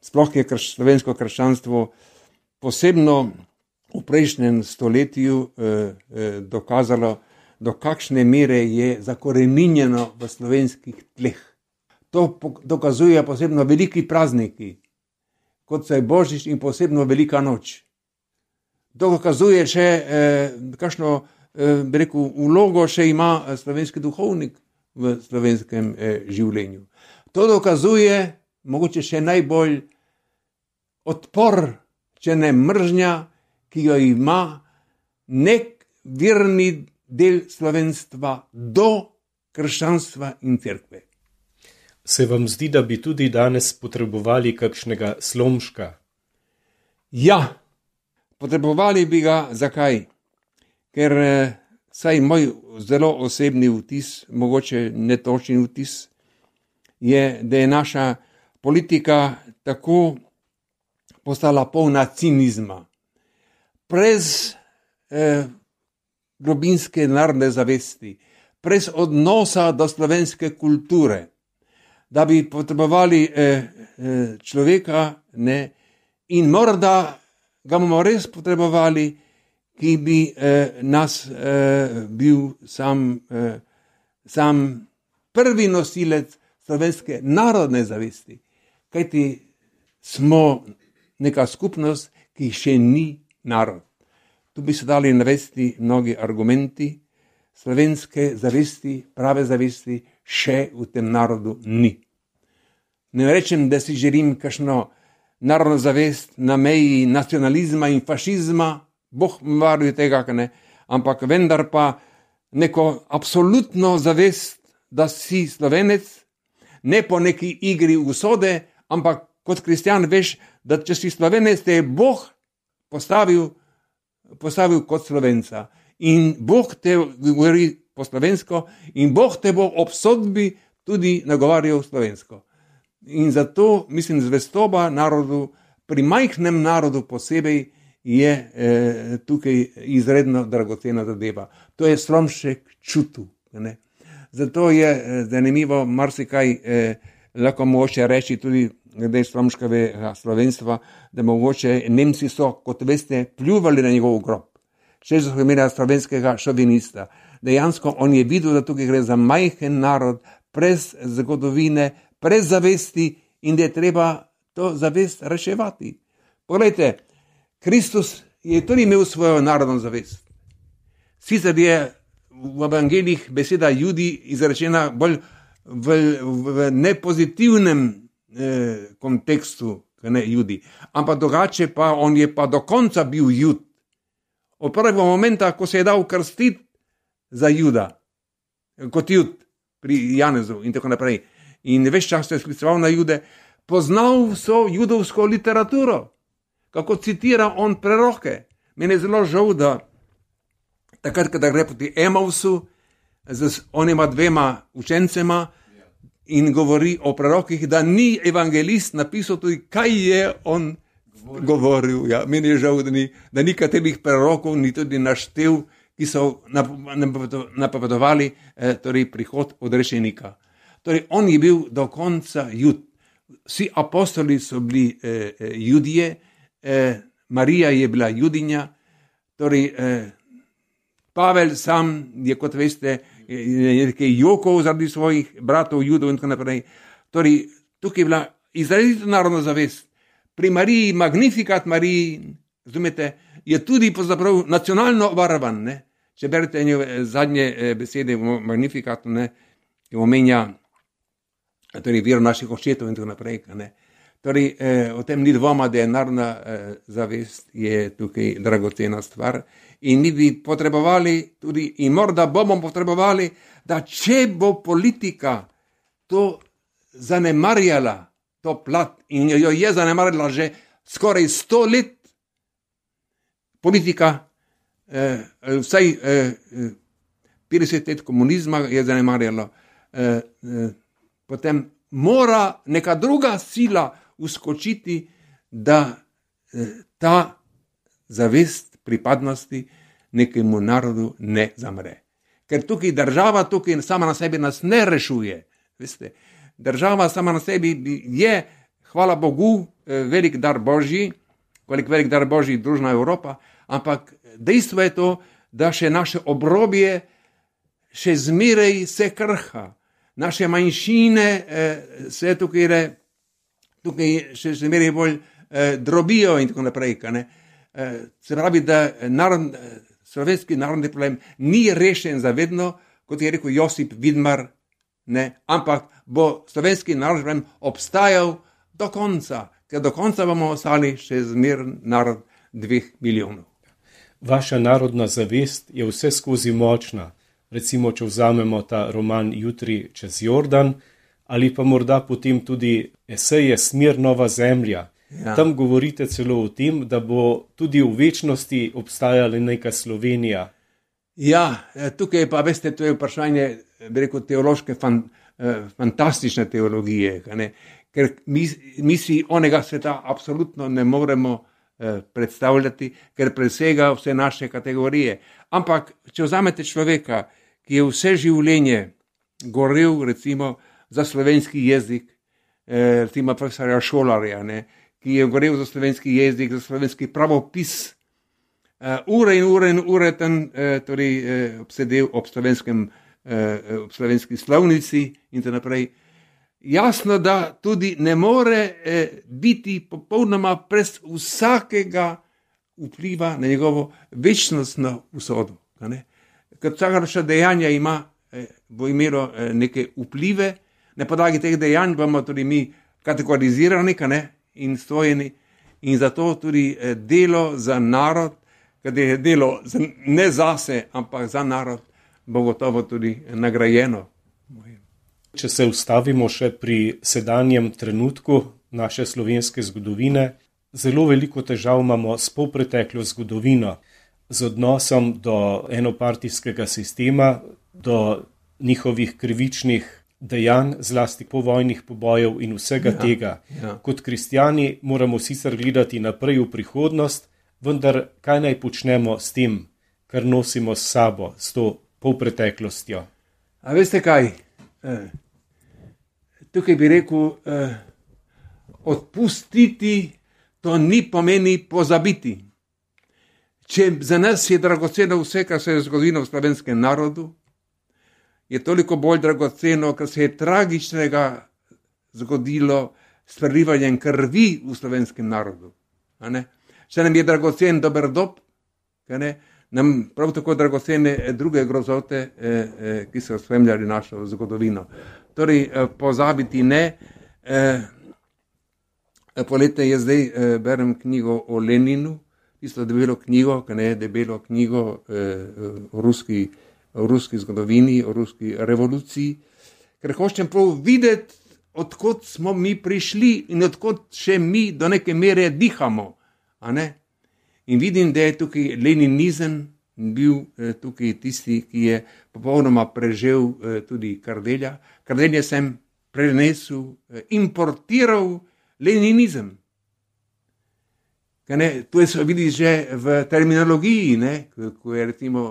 sploh je krš, slovensko krščanstvo posebno v prejšnjem stoletju eh, eh, dokazalo, do kakšne mere je zakoreninjeno v slovenskih tleh. To dokazuje posebno veliki prazniki, kot so je Božič in posebno Velika noč. To dokazuje še, eh, kakšno eh, bi rekel, vlogo še ima slovenski duhovnik v slovenskem eh, življenju. To dokazuje mogoče še najbolj odpor, če ne mržnja, ki jo ima nek virni del slovenstva do krščanstva in cerkve. Se vam zdi, da bi tudi danes potrebovali kakšnega Slomška? Ja, potrebovali bi ga. Zakaj? Ker saj moj zelo osebni vtis, mogoče netočen vtis, je, da je naša politika tako postala polna cinizma. Brez eh, globinske narodne zavesti, brez odnosa do slovenske kulture, da bi potrebovali eh, eh, človeka, ne, in morda ga bomo res potrebovali, ki bi eh, nas eh, bil sam, eh, sam prvi nosilec slovenske narodne zavesti, kajti smo neka skupnost, ki še ni narod. Tu bi se dali navesti mnogi argumenti, slovenske zavesti, prave zavesti še v tem narodu ni. Ne rečem, da si želim kakšno narodno zavest na meji nacionalizma in fašizma, Bog varuje tega, ne, ampak vendar pa neko absolutno zavest, da si Slovenec, ne po neki igri usode, ampak kot kristjan veš, da če si Slovenec, te je Bog postavil, postavil kot Slovenca. In Bog te govori po slovensko in Bog te bo ob sodbi tudi nagovarjal slovensko. In zato, mislim, zvestoba narodu, pri majhnem narodu posebej, je eh, tukaj izredno dragocena zadeva. To je Slomšek čutil. Ne? Zato je eh, zanimivo marsikaj eh, lahko mogoče reči tudi glede Slomškovega slovenstva, da mogoče Nemci so, kot veste, pljuvali na njegov grob. Še so imeli slovenskega šovinista. Dejansko on je videl, da tukaj gre za majhen narod, brez zgodovine, brez zavesti in da je treba to zavest reševati. Poglejte, Kristus je tudi imel svojo narodno zavest. Sicer je v evangeljih beseda Judi izrečena bolj v, v nepozitivnem eh, kontekstu, ne Judi, ampak drugače pa on je pa do konca bil Jud. Od prvega momenta, ko se je dal krstiti za Juda, kot Jud pri Janezu in tako naprej. In ves čas se je skliceval na Jude, poznal so judovsko literaturo, kako citira on preroke. Meni je zelo žal, da takrat, kada gre proti Emausu z onima dvema učencema in govori o prerokih, da ni evangelist napisal tudi, kaj je on govoril. Ja, meni je žal, da ni, da ni katerih prerokov ni tudi naštel, ki so napovedovali eh, torej prihod odrešenika. Torej, on je bil do konca Jud. Vsi apostoli so bili eh, Judije, eh, Marija je bila Judinja, torej eh, Pavel sam je, kot veste, nekaj jokov zaradi svojih bratov Judov in tako naprej. Torej, tukaj je bila izrazito narodna zavest. Pri Mariji, Magnificat Mariji, razumete, je tudi pravzaprav nacionalno varvan. Ne? Če berete zadnje besede v Magnificatu, ne, ki omenja torej, vero naših očetov in tako naprej. Ne? Torej, eh, o tem ni dvoma, da je narodna eh, zavest je tukaj dragocena stvar. In mi bi potrebovali tudi, in morda bomo potrebovali, da če bo politika to zanemarjala, to plat, in jo je zanemarjala že skoraj sto let, politika, eh, vsaj eh, petdeset let komunizma je zanemarjalo, eh, eh, potem mora neka druga sila uskočiti, da eh, ta zavest pripadnosti nekemu narodu ne zamre. Ker tukaj država, tukaj sama na sebi nas ne rešuje. Veste, država sama na sebi je, hvala Bogu, velik dar Božji, kolik velik dar Božji družna Evropa, ampak dejstvo je to, da še naše obrobje še zmeraj se krha. Naše manjšine eh, se tukaj, tukaj še zmeraj bolj eh, drobijo in tako naprej. Eh, se pravi, da narod, slovenski narodni problem ni rešen zavedno, kot je rekel Josip Vidmar, ne, ampak bo slovenski narodni problem obstajal do konca, ker do konca bomo ostali še zmeren narod dveh milijonov. Vaša narodna zavest je vse skozi močna. Recimo, če vzamemo ta roman Jutri čez Jordan, ali pa morda potem tudi eseje Smer nova zemlja. Ja. Tam govorite celo o tem, da bo tudi v večnosti obstajala neka Slovenija. Ja, tukaj pa, veste, to je vprašanje, bi rekel, teološke, fan, fantastične teologije, ne? Ker mi, mi si onega sveta absolutno ne moremo eh, predstavljati, ker presega vse naše kategorije. Ampak, če vzamete človeka, ki je vse življenje gorel, recimo, za slovenski jezik, eh, recimo profesorja Šolarja, ne, ki je gorel za slovenski jezik, za slovenski pravopis, eh, ure in ure in ure tam eh, torej, eh, obsedel ob, eh, ob slovenski slovnici in tako naprej. Jasno, da tudi ne more eh, biti popolnoma brez vsakega vpliva na njegovo večnostno usodo. Ker vsaka naša dejanja ima, eh, bo imelo eh, neke vplive, na podlagi teh dejanj bomo tudi mi kategorizirani in stojeni, in zato tudi eh, delo za narod, kadar je delo ne zase, ampak za narod, bo gotovo tudi nagrajeno. Če se ustavimo še pri sedanjem trenutku naše slovenske zgodovine, zelo veliko težav imamo s polpreteklo zgodovino, z odnosom do enopartijskega sistema, do njihovih krivičnih dejanj, zlasti povojnih pobojev in vsega ja, tega. Ja. Kot kristjani moramo sicer gledati naprej v prihodnost, vendar kaj naj počnemo s tem, kar nosimo s sabo, s to polpreteklostjo? A veste kaj? Eh, tukaj bi rekel, eh, odpustiti to ni pomeni pozabiti. Če za nas je dragoceno vse, kar se je zgodilo v slovenskem narodu, je toliko bolj dragoceno, kar se je tragičnega zgodilo s prelivanjem krvi v slovenskem narodu. Če nam je dragocen dober dob, nam prav tako dragocene druge grozote, eh, eh, ki so spremljali našo zgodovino. Torej, eh, pozabiti ne. Eh, poletje je zdaj, eh, berem knjigo o Leninu, tisto debelo knjigo, ki ne debelo knjigo eh, o, ruski, o ruski zgodovini, o ruski revoluciji, ker hočem prav videti, odkot smo mi prišli in odkot še mi do neke mere dihamo. A ne? In vidim, da je tukaj leninizem bil eh, tukaj tisti, ki je popolnoma prežel eh, tudi Kardelja. Kardelja sem prenesel, eh, importiral leninizem. Ne, to se vidi že v terminologiji, ne, ko je recimo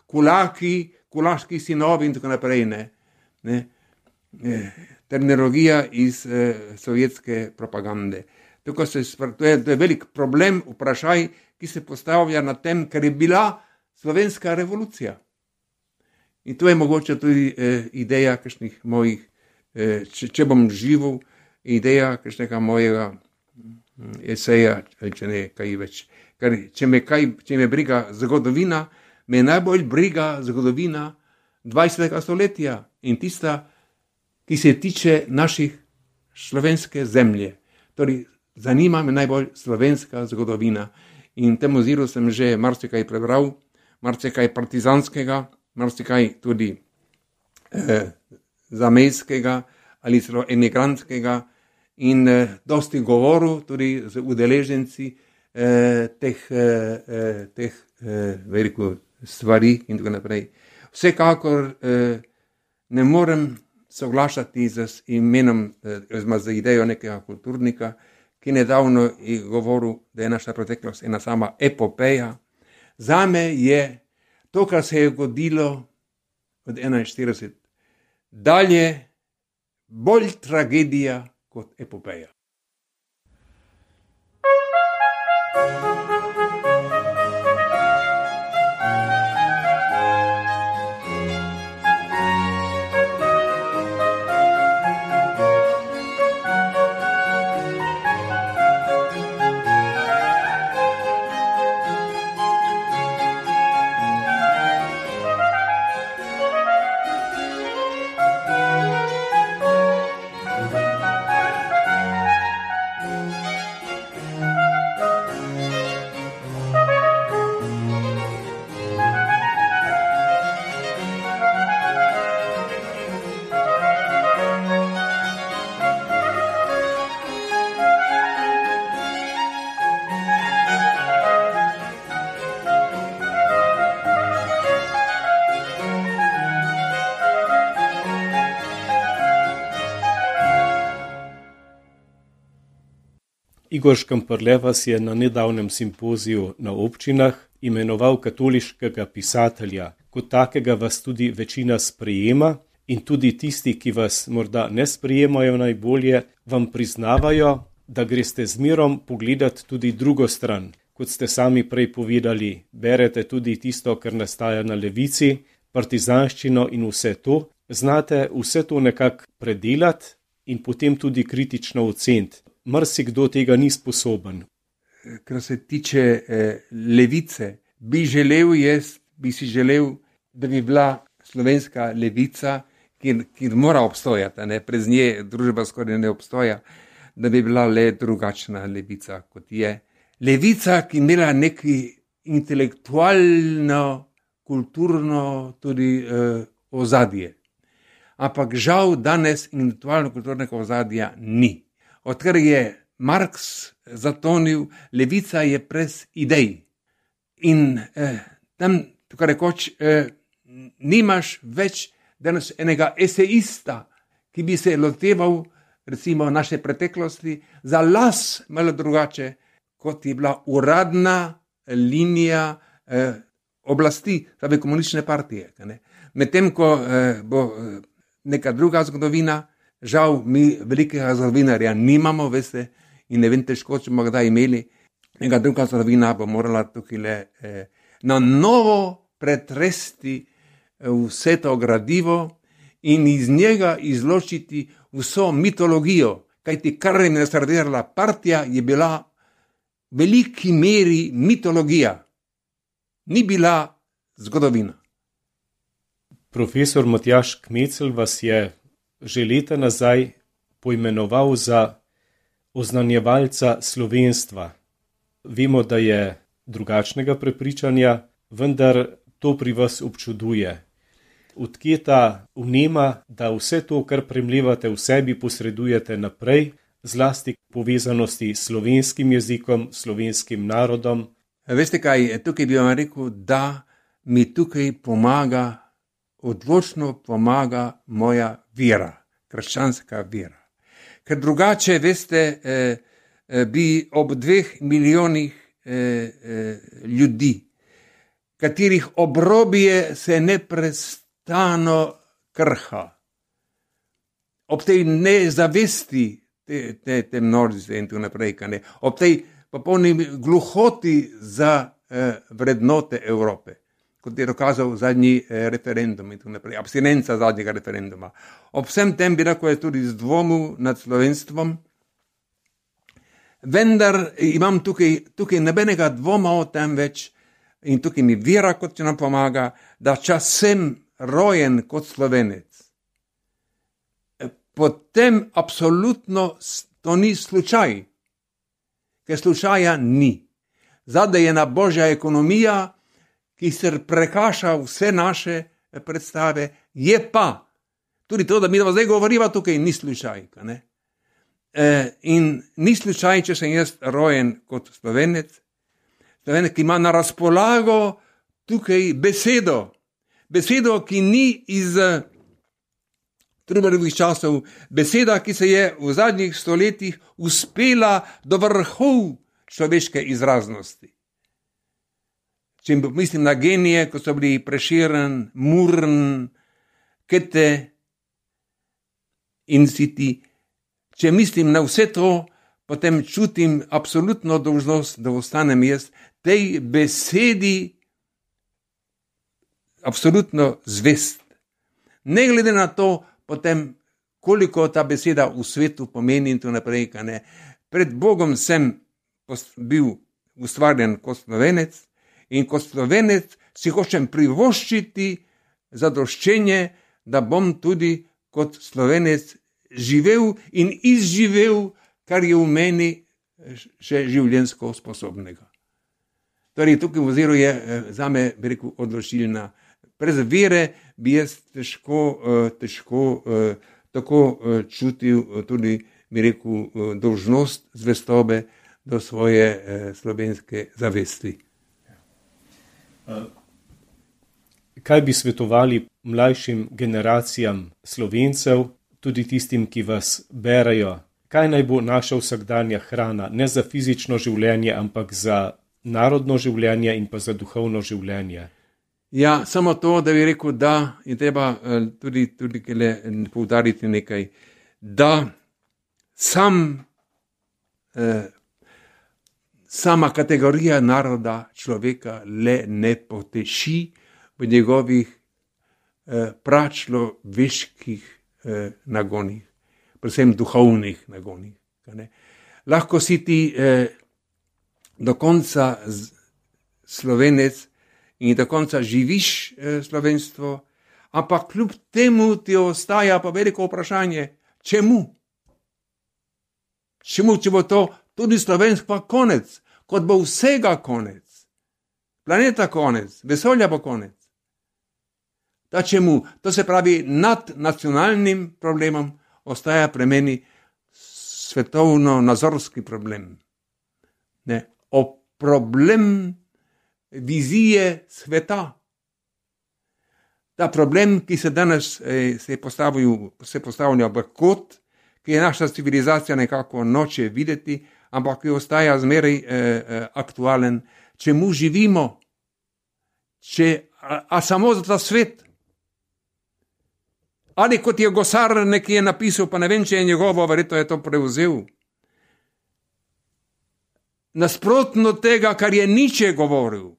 kulaki, kulaški sinovi in tako naprej. Ne, ne, terminologija iz eh, sovjetske propagande. Tako se, to, je, to je velik problem, vprašaj, ki se postavlja na tem, ker je bila slovenska revolucija. In to je mogoče tudi eh, ideja kakšnih mojih, eh, če, če bom živel, ideja kakšnega mojega eseja, če ne kaj več. Ker če me, kaj, če me briga zgodovina, me najbolj briga zgodovina dvajsetega stoletja in tista, ki se tiče naših slovenske zemlje. Torej, zanima me najbolj slovenska zgodovina. In temu oziru sem že marsikaj prebral, marsikaj partizanskega, marsikaj tudi eh, zamejskega ali celo emigrantskega, in eh, dosti govoril tudi z udeleženci eh, teh, eh, teh eh, veliko stvari in tako naprej. Vsekakor eh, ne morem soglašati z imenom, oziroma z idejo nekega kulturnika, ki nedavno je govoril, da je naša preteklost ena sama epopeja. Zame je to, kar se je zgodilo od enainštirideset dalje, bolj tragedija kot epopeja. Igor Škamperle vas je na nedavnem simpoziju na občinah imenoval katoliškega pisatelja. Kot takega vas tudi večina sprejema in tudi tisti, ki vas morda ne sprejemajo najbolje, vam priznavajo, da greste z mirom pogledati tudi drugo stran. Kot ste sami prej povedali, berete tudi tisto, kar nastaja na levici, partizanščino in vse to. Znate vse to nekako predelati in potem tudi kritično oceniti. Marsikdo tega ni sposoben. Kar se tiče eh, levice, bi želel jaz, bi si želel, da bi bila slovenska levica, ki, ki mora obstojati, ne, brez nje družba skoraj ne obstoja, da bi bila le drugačna levica, kot je. Levica, ki imela neki intelektualno, kulturno tudi eh, ozadje. Ampak žal danes intelektualno-kulturnega ozadja ni. Odkar je Marx zatonil, levica je brez idej. In eh, tam, tukaj rekoč, eh, nimaš več danes enega eseista, ki bi se loteval, recimo, naše preteklosti za las malo drugače, kot je bila uradna linija eh, oblasti, torej komunistične partije. Medtem ko eh, bo eh, neka druga zgodovina, žal mi velikega zgodovinarja nimamo, veste, in ne vem težko, če bomo kdaj imeli, neka druga zgodovina bo morala tukaj le eh, na novo pretresti eh, vse to gradivo in iz njega izločiti vso mitologijo, kajti kar je nasrdirala partija, je bila v veliki meri mitologija, ni bila zgodovina. Profesor Matjaž Kmecel vas je že leta nazaj poimenoval za oznanjevalca slovenstva. Vemo, da je drugačnega prepričanja, vendar to pri vas občuduje. Odkje ta vnema, da vse to, kar premlevate v sebi, posredujete naprej, zlasti povezanosti s slovenskim jezikom, slovenskim narodom? Veste kaj, tukaj bi vam rekel, da mi tukaj pomaga, odločno pomaga moja vera, krščanska vera. Ker drugače, veste, eh, eh, bi ob dveh milijonih eh, eh, ljudi, katerih obrobje se neprestano krha, ob tej nezavesti te, te, te množice in tako naprej, ne, ob tej popolni gluhoti za eh, vrednote Evrope, kot je dokazal zadnji eh, referendum in tako naprej, abstinenca zadnjega referenduma. Ob vsem tem bi lahko je tudi z dvomil nad slovenstvom, vendar imam tukaj, tukaj nobenega dvoma o tem več in tukaj mi vera, kot če nam pomaga, da čas sem rojen kot Slovenec. Potem absolutno to ni slučaj, ker slučaja ni. Zadaj je ena božja ekonomija, ki se prekaša vse naše predstave, je pa tudi to, da mi zdaj govoriva tukaj, ni slučaj. Ne? E, in ni slučaj, če sem jaz rojen kot Slovenec, Slovenec, ki ima na razpolago tukaj besedo. Besedo, ki ni iz Trubarovih časov, beseda, ki se je v zadnjih stoletjih uspela do vrhov človeške izraznosti. Če mislim na genije, ko so bili Prešeren, Murn, Kete in Siti, če mislim na vse to, potem čutim absolutno dolžnost, da ostanem jaz tej besedi absolutno zvest. Ne glede na to, potem koliko ta beseda v svetu pomeni in to naprej, kaj ne. Pred Bogom sem bil ustvarjen kot Slovenec in kot Slovenec si hočem privoščiti zadoščenje, da bom tudi kot Slovenec živel in izživel, kar je v meni še življenjsko sposobnega. Torej, tukaj v oziru je zame, bi rekel, odločilna. Brez vere bi jaz težko, težko tako čutil tudi, bi rekel, dolžnost zvestobe do svoje slovenske zavesti. Kaj bi svetovali mlajšim generacijam Slovencev, tudi tistim, ki vas berajo? Kaj naj bo naša vsakdanja hrana, ne za fizično življenje, ampak za narodno življenje in pa za duhovno življenje? Ja, samo to, da bi rekel, da je treba tudi, tudi poudariti nekaj, da sam, eh, sama kategorija naroda človeka le ne poteši v njegovih eh, pračloveških eh, nagonih, predvsem duhovnih nagonih. Lahko si ti eh, do konca Slovenec in do konca živiš eh, slovenstvo, ampak kljub temu ti ostaja pa veliko vprašanje, čemu? Čemu, če bo to tudi slovensko konec, kot bo vsega konec, planeta konec, vesolja bo konec. Da čemu? To se pravi, nad nacionalnim problemom ostaja pri meni svetovno-nazorski problem. Ne, o problem vizije sveta. Ta problem, ki se danes eh, se, se postavlja v kot, ki je naša civilizacija nekako noče videti, ampak ki ostaja zmeraj eh, eh, aktualen. Čemu živimo? Če, a, a samo za ta svet? Ali kot je Gosar nekje napisal, pa ne vem, če je njegovo, verjetno je to prevzel. Nasprotno tega, kar je Nietzsche govoril.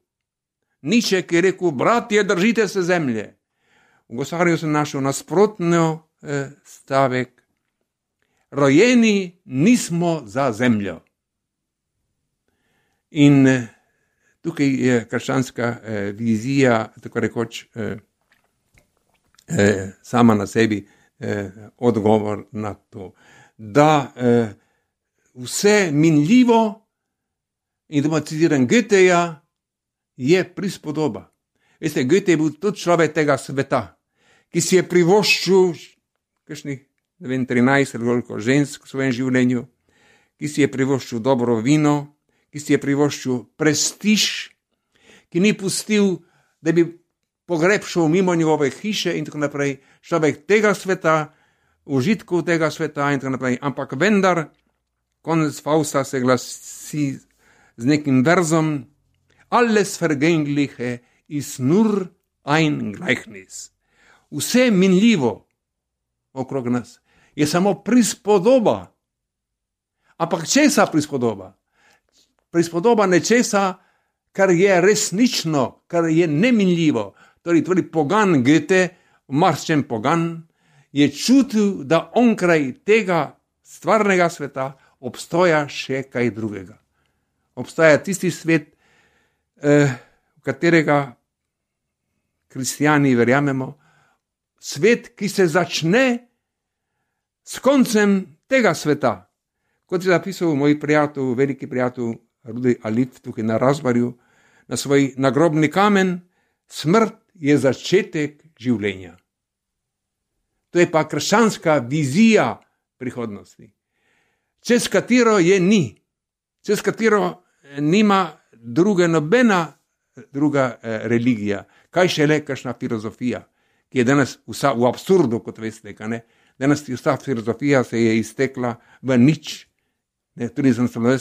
Nietzsche, ki je rekel, bratje, držite se zemlje. V Gosarju sem našel nasprotno eh, stavek. Rojeni nismo za zemljo. In eh, tukaj je krščanska eh, vizija, tako rekoč, eh, eh, sama na sebi eh, odgovor na to. Da eh, vse minljivo, in da citiram Goetheja, je prispodoba. Veste, Goethe je bil tudi človek tega sveta, ki si je privoščil kakšnih, ne vem, trinajst ali koliko žensk v svojem življenju, ki si je privoščil dobro vino, ki si je privoščil prestiž, ki ni pustil, da bi pogreb šel mimo njegove hiše in tako naprej, človek tega sveta, užitkov tega sveta in tako naprej. Ampak vendar, konec Fausta se glasi z nekim verzom, alles vergängliche ist nur ein Gleichnis. Vse minljivo okrog nas je samo prispodoba. Ampak česa prispodoba? Prispodoba nečesa, kar je resnično, kar je neminljivo. Torej, tudi pogan Goethe, marščen pogan, je čutil, da onkraj tega stvarnega sveta obstoja še kaj drugega. Obstaja tisti svet, eh, v katerega kristijani verjamemo, svet, ki se začne s koncem tega sveta. Kot je zapisal moj prijatelj, veliki prijatelj Rudi Alif tukaj na Razbarju, na svoj nagrobni kamen, smrt je začetek življenja. To je pa krščanska vizija prihodnosti, čez katero je ni, čez katero nima druga nobena druga eh, religija, kaj šele kakšna filozofija, ki je danes vsa v absurdu, kot veste, kaj ne. Danes vsa filozofija se je iztekla v nič. Ne, tudi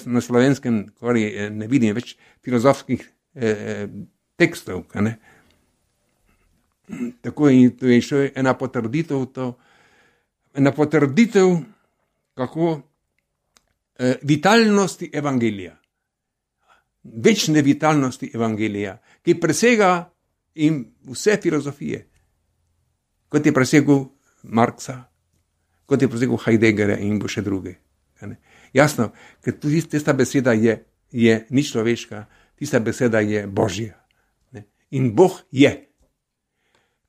na slovenskem, kar je, ne vidim več filozofskih eh, tekstov, kaj ne. Tako in to je še ena potrditev, to, ena potrditev, kako eh, vitalnosti evangelija. Večne vitalnosti evangelija, ki presega in vse filozofije, kot je presegel Marxa, kot je presegel Heideggera in bo še druge. Jasno, ker tudi tista beseda je, je ni človeška, tista beseda je Božja. Ne? In Bog je.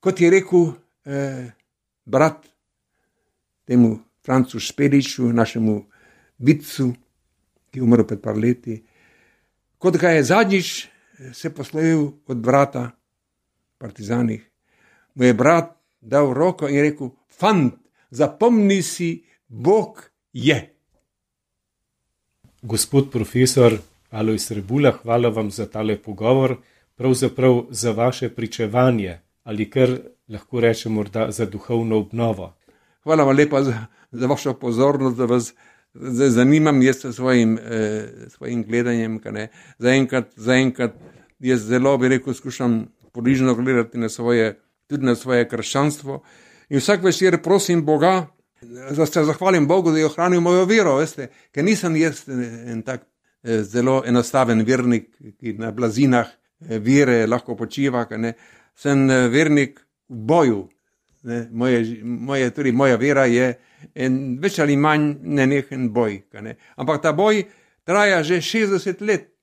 Kot je rekel eh, brat temu Francu Špeliču, našemu vicu, ki je umrl pred par leti, kot ga je zadnjič se poslovil od brata partizanih, mu je brat dal roko in rekel, fant, zapomni si, Bog je. Gospod profesor Alojz Rebula, hvala vam za tale pogovor, pravzaprav za vaše pričevanje, ali kar lahko rečem morda za duhovno obnovo. Hvala vam lepa za, za vašo pozornost, da vas zanimam jaz s svojim, eh, svojim gledanjem. Zaenkrat, zaenkrat jaz zelo, bi rekel, skušam podižno gledati na svoje, tudi na svoje krščanstvo. In vsak večer prosim Boga, da se zahvalim Bogu, da je ohranil mojo vero, veste, ker nisem jaz en tak eh, zelo enostaven vernik, ki na blazinah eh, vere lahko počiva, ne. Sem eh, vernik v boju. Ne, moje, moje, tudi moja vera je en več ali manj nenehen boj. Ne. Ampak ta boj traja že šestdeset let.